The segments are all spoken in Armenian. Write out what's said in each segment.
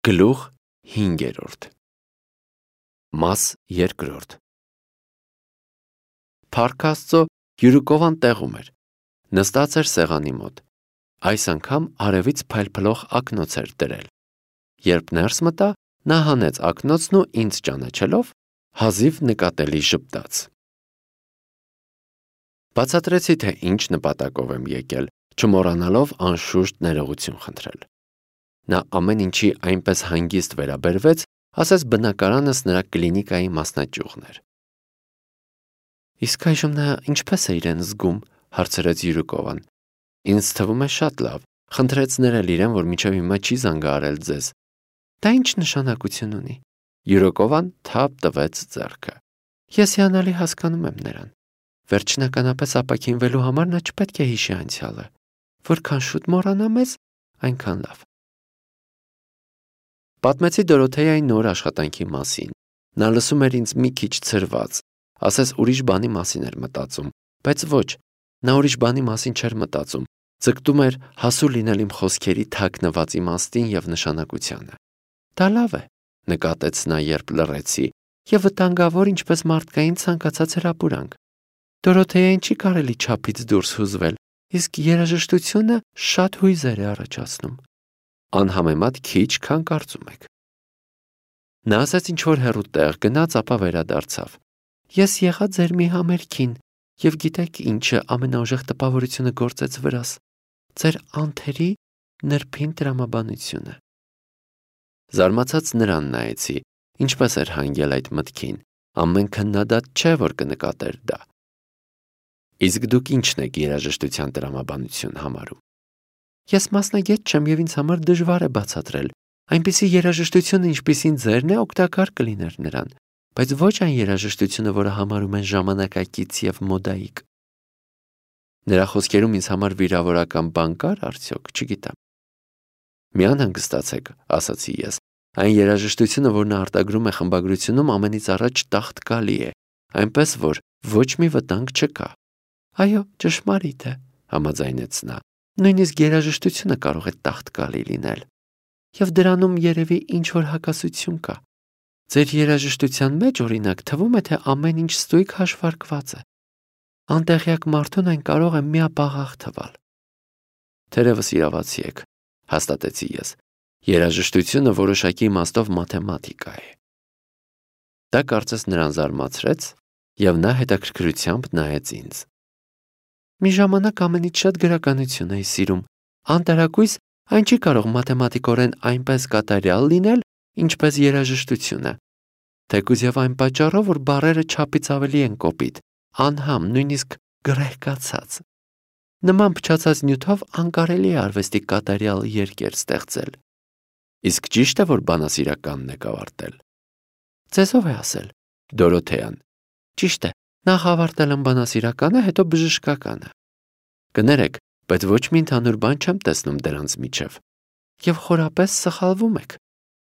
Գլուխ 5. Մաս 2. Փառք Աստծո, Յուրուկովան տեղում էր, նստած էր սեղանի մոտ, այս անգամ արևից փայլփլող ակնոց էր դրել, երբ ներս մտա, նա հանեց ակնոցն ու ինձ ճանաչելով, հազիվ նկատելի ժպտաց. Բացատրեցի, թե ինչ նպատակով եմ եկել, չմոռանալով անշուշտ ներողություն խնդրել. Նա ամեն ինչի այնպես հանգիստ վերաբերվեց, ասես բնակարանս նրա կլինիկայի մասնաճյուղն էր։ Իսկ այժմ նա ինչպես է իրեն զգում, հարցրեց Յուրուկովան։ Ինձ թվում է շատ լավ, խնդրեց ներել իրեն, որ մինչև հիմա չի զանգահարել ձեզ։ Դա ինչ նշանակություն ունի։ Յուրուկովան թափ տվեց ձեռքը։ Ես հիանալի հասկանում եմ նրան։ Վերջնականապես ապաքինվելու համար նա չպետք է հիշի անցյալը։ Որքան շուտ մոռանա մեզ, այնքան լավ։ Պատմեցի Դորոթեայի նոր աշխատանքի մասին։ Նա լսում էր ինձ մի քիչ ցրված, ասես ուրիշ բանի մասին էր մտածում, բայց ոչ, նա ուրիշ բանի մասին չէր մտածում, ձգտում էր հասու լինել իմ խոսքերի թաքնված իմաստին եւ նշանակությանը։ Դա լավ է, նկատեց նա, երբ լռեցի, եւ վտանգավոր ինչպես մարդկային ցանկացած հրապուրանք։ Դորոթեային չի կարելի չափից դուրս հուզվել, իսկ երաժշտությունը շատ հույզեր է առաջացնում։ Անհամեմատ քիչ, քան կարծում եք։ Նա ասաց ինչ-որ հեռու տեղ, գնաց, ապա վերադարձավ։ Ես եղա ձեր մի համերգին, եւ գիտեք ինչը ամենաուժեղ տպավորությունը գործեց վրաս։ Ձեր անթերի նրբին տրամաբանությունը։ Զարմացած նրան նայեցի, ինչպես էր հանգել այդ մտքին, ամեն քննադատ չէ, որ կնկատեր դա։ Իսկ դուք ինչն եք երաժշտության տրամաբանություն համարում։ Ես մասնագետ չեմ եւ ինձ համար դժվար է բացատրել։ Այնպիսի երաժշտությունը, ինչպիսին ձերն է, օգտակար կլիներ նրան, բայց ոչ այն երաժշտությունը, որը համարում են ժամանակակից եւ մոդայիկ։ Նրա խոսքերում ինձ համար վիրավորական բան կար արդյոք, չգիտեմ։ Մի անհանգստացեք, ասացի ես։ Այն երաժշտությունը, որ նա արտագրում է խմբագրությունում, ամենից առաջ տաղտկալի է, այնպես որ ոչ մի վտանգ չկա։ Այո, ճշմարիտ է, համաձայնեց նա։ Նույնիսկ երաժշտությունը կարող է տաղտկալի լինել։ Եվ դրանում երևի ինչ-որ հակասություն կա։ Ձեր երաժշտության մեջ, օրինակ, թվում է, թե ամեն ինչ ստույգ հաշվարկված է։ Անտեղյակ մարդուն այն կարող է միապաղաղ թվալ։ Թերևս իրավացի եք, հաստատեցի ես։ Երաժշտությունը որոշակի իմաստով մաթեմատիկա է։ Դա կարծես նրան զարմացրեց, եւ նա հետաքրքրությամբ նայեց ինձ։ Մի ժամանակ ամենից շատ գրականություն էի սիրում։ Անտարակույս այն չի կարող մաթեմատիկորեն այնպես կատարյալ լինել, ինչպես երաժշտությունը։ Թեկուզ եւ այն պատճառով, որ բառերը չափից ավելի են կոպիտ, անհամ, նույնիսկ գրեհկացած։ Նման փչացած նյութով անկարելի է արվեստի կատարյալ երկեր ստեղծել։ Իսկ ճիշտ է, որ բանասիրականն եք ավարտել։ Ձեզով է ասել, Դորոթեան։ Ճիշտ է, նախ ավարտել եմ բանասիրականը, հետո բժշկականը։ Կներեք, բայց ոչ մի ընդհանուր բան չեմ տեսնում դրանց միջև։ Եվ խորապես սխալվում եք,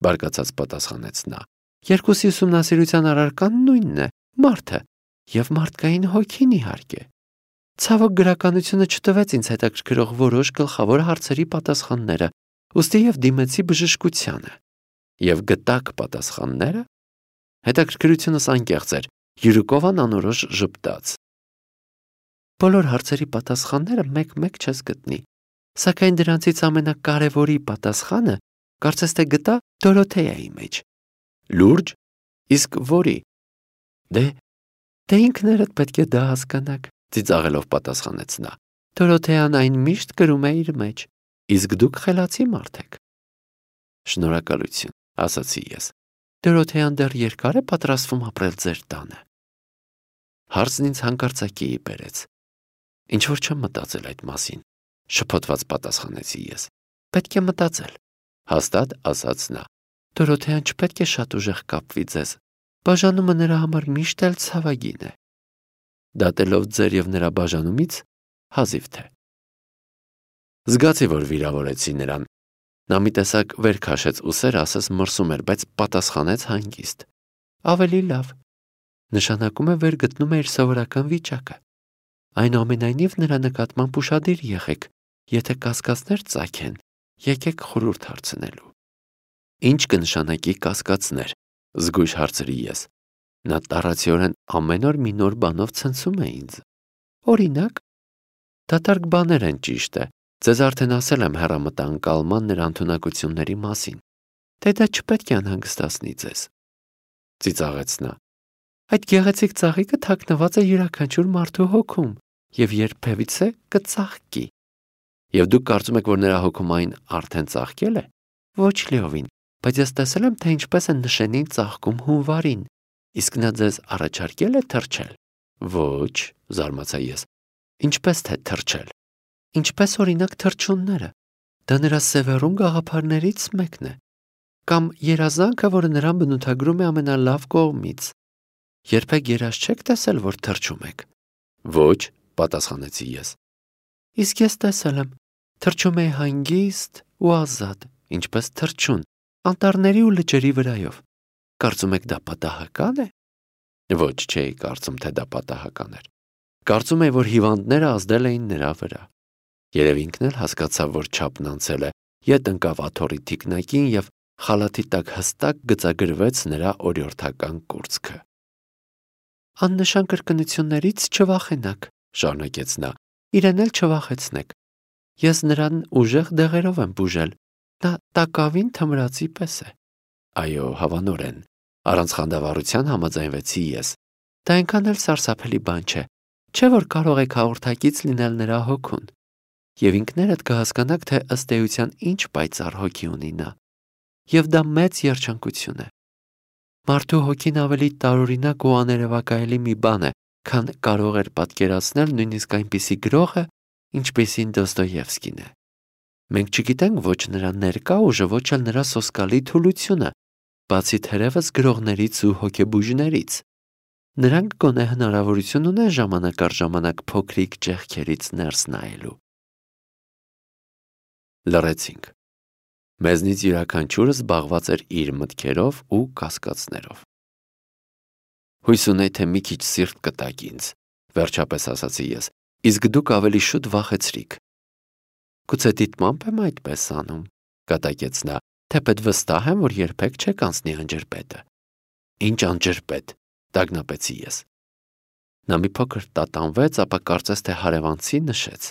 բարկացած պատասխանեց նա։ Երկուսի ուսումնասիրության առարկան նույնն է, մարդը եւ մարդկային հոգին իհարկե։ Ցավոք գրականությունը չտվեց ինձ հետաքրքրող որոշ գլխավոր հարցերի պատասխանները, ուստի եւ դիմեցի բժշկությանը։ Եվ գտակ պատասխանները։ Հետաքրքրությունս անկեղծ էր, Յուրուկովան անորոշ ժպտաց։ Բոլոր հարցերի պատասխանները մեկ-մեկ չես գտնի, սակայն դրանցից ամենակարևորի պատասխանը կարծես թե գտա Դորոթեայի մեջ։ Լուրջ, իսկ որի։ Դե ինքներդ պետք է դա հասկանաք, ծիծաղելով պատասխանեց նա։ Դորոթեան այն միշտ կրում է իր մեջ, իսկ դուք խելացի մարդ եք։ Շնորհակալություն, ասացի ես։ Դորոթեան դեռ երկար է պատրաստվում ապրել ձեր տանը։ Հարցն ինձ հանկարծակիի բերեց։ Ինչ որ չեմ մտածել այդ մասին, շփոթված պատասխանեցի ես։ Պետք է մտածել, հաստատ ասաց նա։ Դորոթեան չպետք է շատ ուժեղ կապվի ձեզ։ Բաժանումը նրա համար միշտ էլ ցավագին է։ Դատելով ձեր եւ նրա բաժանումից, հազիվ թե։ Զգացի, որ վիրավորեցի նրան։ Նա մի տեսակ վեր քաշեց ուսերը, ասես մրսում էր, բայց պատասխանեց հանգիստ։ Ավելի լավ։ Նշանակում է վեր գտնում է իր սովորական վիճակը։ Այնուամենայնիվ նրա նկատմամբ ուշադիր եղեք, եթե կասկածներ ծագեն, եկեք խորհուրդ հարցնելու։ Ինչ կնշանակի կասկածներ, զգույշ հարցրի ես։ Նա տառացիորեն ամեն օր մի նոր բանով ցնցում է ինձ։ Օրինակ, դատարկ բաներ են, ճիշտ է։ Ձեզ արդեն ասել եմ հեռամտանկալման նրա ընդունակությունների մասին։ Թե դա չպետք է անհանգստացնի ձեզ։ Ծիծաղեց նա։ Այդ գեղեցիկ ծաղիկը թաքնված է յուրաքանչյուր մարդու հոգում եւ երբևիցե կծաղկի։ Եվ դուք կարծում եք, որ նրա հոգում այն արդեն ծաղկել է։ Ոչ լիովին, բայց ես տեսել եմ, թե ինչպես է նշենին ծաղկում հունվարին։ Իսկ նա ձեզ առաջարկել է թռչել։ Ոչ, զարմացա ես։ Ինչպես թե թռչել։ Ինչպես օրինակ թռչունները։ Դա նրա սևեռուն գաղափարներից մեկն է։ Կամ երազանքը, որը նրան բնութագրում է ամենալավ կողմից։ Երբեք երազ չեք տեսել, որ թռչում եք։ Ոչ, պատասխանեցի ես։ Իսկ ես տեսել եմ։ Թռչում էի հանգիստ ու ազատ, ինչպես թռչուն, անտառների ու լճերի վրայով։ Կարծում եք դա պատահական է։ Ոչ, չէի կարծում, թե դա պատահական էր։ Կարծում էի, որ հիվանդները ազդել էին նրա վրա։ Երևի ինքն էլ հասկացավ, որ չափն անցել է, ետ ընկավ աթոռի թիկնակին և խալաթի տակ հստակ գծագրվեց նրա օրիորդական կուրծքը։ Աննշան կրկնություններից չվախենաք, շարունակեց նա, իրեն էլ չվախեցնեք։ Ես նրան ուժեղ դեղերով եմ բուժել, նա տակավին թմրածի պես է։ Այո, հավանորեն, առանց խանդավառության համաձայնվեցի ես։ Դա այնքան էլ սարսափելի բան չէ, չէ՞ որ կարող եք հաղորդակից լինել նրա հոգուն։ Եվ ինքներդ կհասկանաք, թե ըստ էության ինչ պայծառ հոգի ունի նա։ Եվ դա մեծ երջանկություն է։ Մարդու հոգին ավելի տարօրինակ ու աներևակայելի մի բան է, քան կարող էր պատկերացնել նույնիսկ այնպիսի գրողը, ինչպիսին Դոստոևսկին է։ Մենք չգիտենք ոչ նրա ներկա ուժը, ոչ էլ նրա սոսկալի թուլությունը, բացի թերևս գրողներից ու հոգեբույժներից։ Նրանք գոնե հնարավորություն ունեն ժամանակ առ ժամանակ փոքրիկ ճեղքերից ներս նայելու։ Լռեցինք։ Մեզնից յուրաքանչյուրը զբաղված էր իր մտքերով ու կասկածներով։ Հույս ունեի, թե մի քիչ սիրտ կտաք ինձ, վերջապես ասացի ես, իսկ դուք ավելի շուտ վախեցրիք։ Գուցե դիտմամբ եմ այդպես անում, կատակեց նա, թեպետ վստահ եմ, որ երբեք չեք անցնի անջրպետը։ Ինչ անջրպետ, տագնապեցի ես։ Նա մի փոքր տատանվեց, ապա կարծես թե հարևանցի նշեց։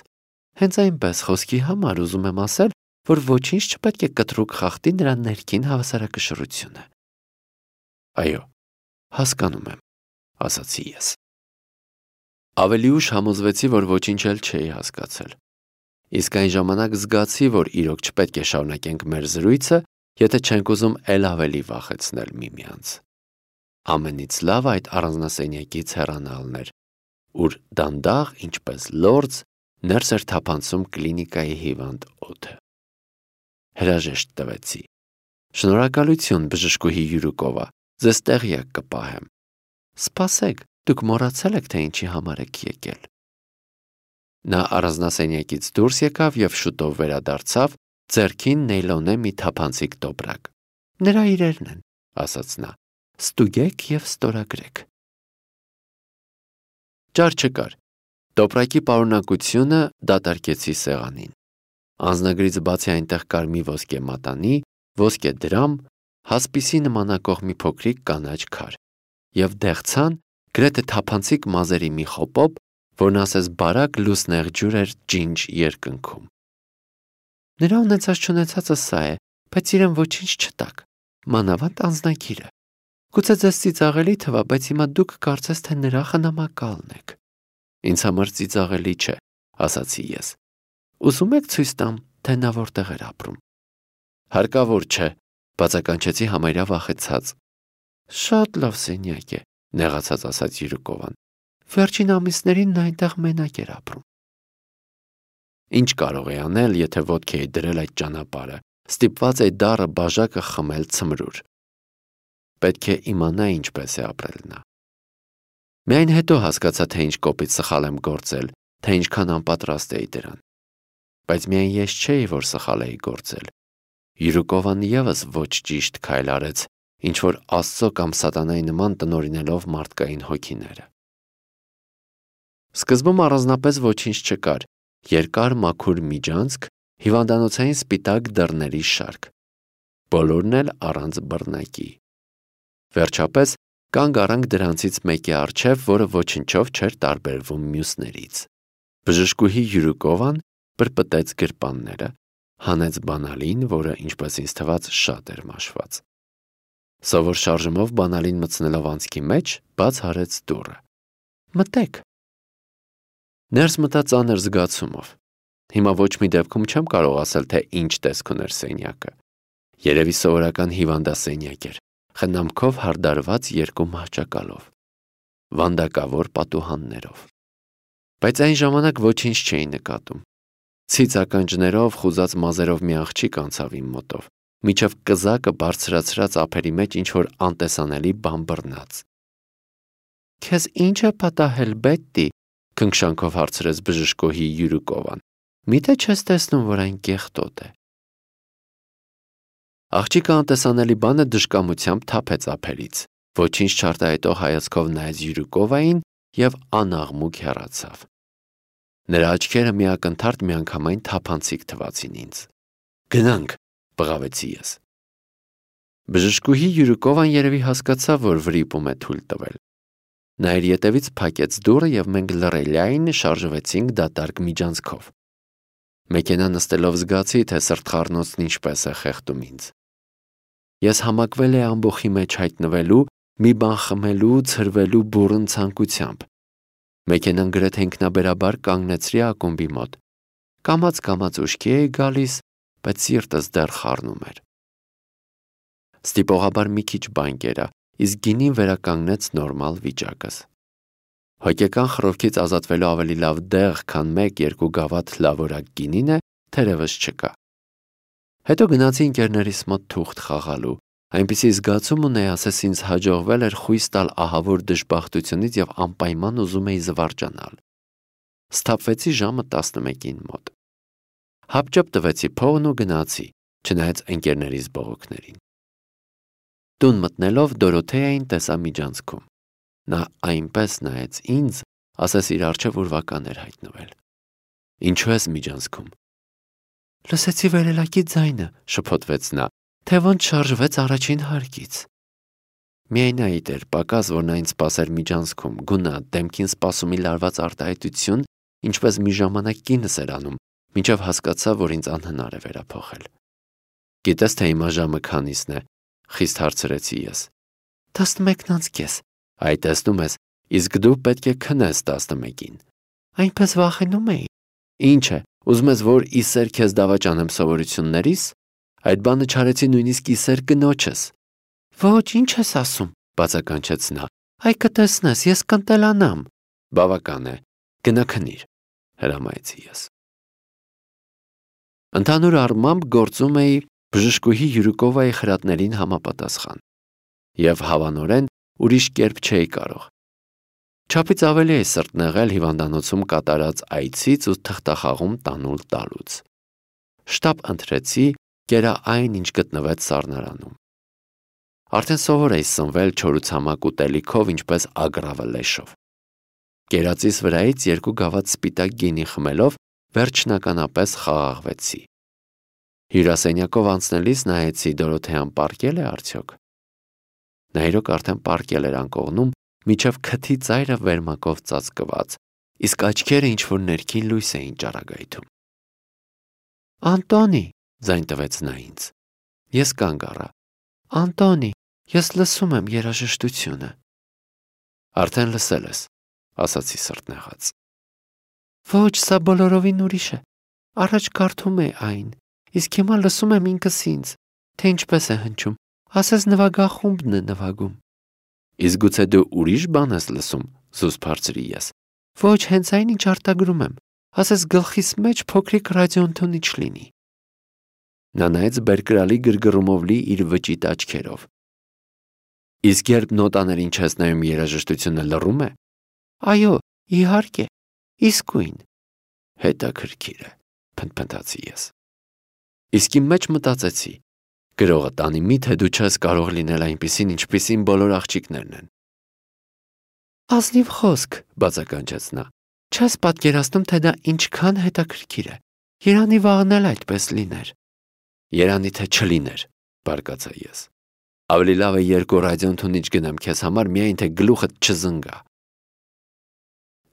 Հենց այնպես խոսքի համար ուզում եմ ասել, որ ոչինչ չպետք է կտրուկ խախտի նրա ներքին հավասարակշռությունը։ Այո, հասկանում եմ, ասացի ես։ Ավելի ուշ համոզվեցի, որ ոչինչ էլ չէի հասկացել։ Իսկ այն ժամանակ զգացի, որ իրոք չպետք է շարունակենք մեր զրույցը, եթե չենք ուզում էլ ավելի վախեցնել միմյանց։ Ամենից լավ այդ առանձնասենյակից հեռանալն էր, ուր դանդաղ, ինչպես լորձ, ներս էր թափանցում կլինիկայի հիվանդ օդը։ Հրաժեշտ տվեցի։ Շնորհակալություն, բժշկուհի Յուրուկովա, ձեզ տեղյակ կպահեմ։ Սպասեք, դուք մոռացել եք, թե ինչի համար եք եկել։ Նա առանձնասենյակից դուրս եկավ և շուտով վերադարձավ, ձեռքին նեյլոնե մի թափանցիկ տոպրակ։ Նրա իրերն են, ասաց նա, ստուգեք և ստորագրեք։ Ճար չկար։ Տոպրակի պարունակությունը դատարկեցի սեղանին։ Անձնագրից բացի այնտեղ կար մի ոսկե մատանի, ոսկե դրամ, հասպիսի նմանակող մի փոքրիկ կանաչ քար և դեղցան գրեթե թափանցիկ մազերի մի խոպոպ, որն ասես բարակ լուսնեղ ջուր էր ջինջ երկնքում։ Նրա ունեցած-չունեցածը սա է, բայց իրեն ոչինչ չտաք, մանավանդ անձնագիրը։ Գուցե ձեզ ծիծաղելի թվա, բայց հիմա դուք կարծես թե նրա խնամակալն եք։ Ինձ համար ծիծաղելի չէ, ասացի ես։ Ուզում եք ցույց տամ, թե նա որտեղ էր ապրում։ Հարկավոր չէ, բացականչեցի համարյա վախեցած։ Շատ լավ սենյակ է, նեղացած ասաց Յուրուկովան։ Վերջին ամիսներին նա այնտեղ մենակ էր ապրում։ Ինչ կարող էի անել, եթե ոտք էի դրել այդ ճանապարհը, ստիպված էի դառը բաժակը խմել ցմրուր։ Պետք է իմանա ինչպես է ապրել նա։ Միայն հետո հասկացա, թե ինչ կոպիտ սխալ եմ գործել, թե ինչքան անպատրաստ էի դրան։ Բայց միայն ես չէի, որ սխալ էի գործել։ Յուրուկովան ևս ոչ ճիշտ քայլ արեց, ինչ որ Աստծո կամ սատանայի նման տնօրինելով մարդկային հոգիները։ Սկզբում առանձնապես ոչինչ չկար, երկար մաքուր միջանցք, հիվանդանոցային սպիտակ դռների շարք։ բոլորն էլ առանց բռնակի։ Վերջապես կանգ առանք դրանցից մեկի առջև, որը ոչնչով չէր տարբերվում մյուսներից։ Բժշկուհի Յուրուկովան պրպտեց գրպանները, հանեց բանալին, որը, ինչպես ինձ թվաց, շատ էր մաշված։ Սովոր շարժումով բանալին մտցնելով անցքի մեջ, բաց արեց դուռը։ Մտեք։ Ներս մտա ծանր զգացումով։ Հիմա ոչ մի դեպքում չեմ կարող ասել, թե ինչ տեսք ուներ սենյակը։ Երևի սովորական հիվանդասենյակ էր, խնամքով հարդարված երկու մահճակալով, վանդակավոր պատուհաններով։ Բայց այն ժամանակ ոչինչ չէի նկատում։ Ցից ականջներով, խուզած մազերով մի աղջիկ անցավ իմ մոտով, միջև կզակը բարձրացրած ափերի մեջ ինչ-որ անտեսանելի բան բռնաց։ Քեզ ինչ է պատահել, Բետտի, քնքշանքով հարցրեց բժշկուհի Յուրուկովան։ Միթե չես տեսնում, որ այն կեղտոտ է։ Աղջիկը անտեսանելի բանը դժկամությամբ թափեց ափերից, ոչինչ չարտահայտող հայացքով նայեց Յուրուկովային և անաղմուկ հեռացավ։ Նրա աչքերը միակնթարթ միանգամայն թափանցիկ թվացին ինձ։ Գնանք, բղավեցի ես։ Բժշկուհի Յուրուկովան երևի հասկացավ, որ վրիպում է թույլ տվել։ Նա իր ետևից փակեց դուռը և մենք լռելիայն շարժվեցինք դատարկ միջանցքով։ Մեքենա նստելով զգացի, թե սրտխառնոցն ինչպես է խեղդում ինձ։ Ես համակվել էի ամբոխի մեջ հայտնվելու, մի բան խմելու, ցրվելու բուռն ցանկությամբ։ Մեքենան գրեթե ինքնաբերաբար կանգնեցրի ակումբի մոտ։ Կամաց-կամաց ուշքի էի գալիս, բայց սիրտս դեռ խառնում էր։ Ստիպողաբար մի քիչ բան կերա, իսկ գինին վերականգնեց նորմալ վիճակս։ Հոգեկան խռովքից ազատվելու ավելի լավ դեղ, քան 1-2 գավաթ լավորակ գինին է, թերևս չկա։ Հետո գնացի ընկերներիս մոտ թուղթ խաղալու, այնպիսի զգացում ունեի, ասես ինձ հաջողվել էր խույս տալ ահավոր դժբախտությունից և անպայման ուզում էի զվարճանալ։ Սթափվեցի ժամը 11-ին մոտ։ Հապճեպ տվեցի փողն ու գնացի, չնայած ընկերներիս բողոքներին։ Տուն մտնելով Դորոթեային տեսա միջանցքում։ Նա այնպես նայեց ինձ, ասես իր առջև ուրվական էր հայտնվել։ Ինչու ես միջանցքում։ Լսեցի վերելակի ձայնը, շփոթվեց նա, թե ոնց շարժվեց առաջին հարկից։ Միայնայիտ էր, պակաս, որ նա ինձ սպասեր միջանցքում, գունատ, դեմքին սպասումի լարված արտահայտություն, ինչպես մի ժամանակ կինս էր անում, մինչև հասկացա, որ ինձ անհնար է վերափոխել։ Գիտես, թե հիմա ժամը քանիսն է, խիստ հարցրեցի ես։ 11:30։ Այ տեսնում ես, իսկ դու պետք է քնես 11-ին։ Այնպես վախենում էի։ Ինչ է, ուզում ես, որ իսեր քեզ դավաճանեմ սովորություններիս։ Այդ բանը չարեցի նույնիսկ իսեր կնոջս։ Ոչ, ինչ ես ասում, բացականչեց նա։ Այ կտեսնես, ես կընտելանամ։ Բավական է, գնա քնիր, հրամայեցի ես։ Ընդհանուր առմամբ գործում էի բժշկուհի Յուրուկովայի խրատներին համապատասխան։ Եվ հավանորեն ուրիշ կերպ չէի կարող։ Չափից ավելի էի սրտնեղել հիվանդանոցում կատարած այցից ու թղթախաղում տանուլ տալուց։ Շտապ ընտրեցի, կերա այն, ինչ գտնվեց սառնարանում։ Արդեն սովոր էի սնվել չորուցամակ ուտելիքով, ինչպես ագրավը լեշով։ Կերածիս վրայից 2 գավաթ սպիտակ գինի խմելով վերջնականապես խաղաղվեցի։ Հյուրասենյակով անցնելիս նայեցի Դորոթեան պառկել է արդյոք։ Նա իրոք արդեն պառկել էր անկողնում, միջև քթի ծայրը վերմակով ծածկված, իսկ աչքերը ինչ-որ ներքին լույս էին ճառագայթում։ Անտոնի, ձայն տվեց նա ինձ։ Ես կանգ առա։ Անտոնի, ես լսում եմ երաժշտությունը։ Արդեն լսել ես, ասացի սրտնեղած։ Ոչ, սա բոլորովին ուրիշ է։ Առաջ կարդում էի այն, իսկ հիմա լսում եմ ինքս ինձ, թե ինչպես է հնչում, ասես նվագախումբն է նվագում։ Իսկ գուցե դու ուրիշ բան ես լսում, զուսպ հարցրի ես։ Ոչ, հենց այն, ինչ արտագրում եմ, ասես գլխիս մեջ փոքրիկ ռադիոընթունիչ լինի։ Նա նայեց բերկրալի գրգռումով լի իր վճիտ աչքերով։ Իսկ երբ նոտաներին չես նայում, երաժշտությունը լռում է։ Այո, իհարկե, իսկույն։ Հետաքրքիր է, փնթփնթացի ես։ Իսկ իմ մեջ մտածեցի. գրողը տանի միթե դու չես կարող լինել այնպիսին, ինչպիսին բոլոր աղջիկներն են։ Ազնիվ խոսք, բացականչեց նա։ Չես պատկերացնում, թե դա ինչքան հետաքրքիր է։ Երանի վաղն էլ այդպես լիներ։ Երանի թե չլիներ, բարկացա ես։ Ավելի լավ է երկու ռադիոընթունիչ գնեմ քեզ համար, միայն թե գլուխդ չզնգա։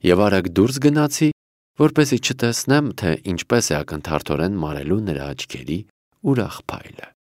Եվ արագ դուրս գնացի, որպեսզի չտեսնեմ, թե ինչպես է ակնթարթորեն մարելու նրա աչքերի ուրախ փայլը։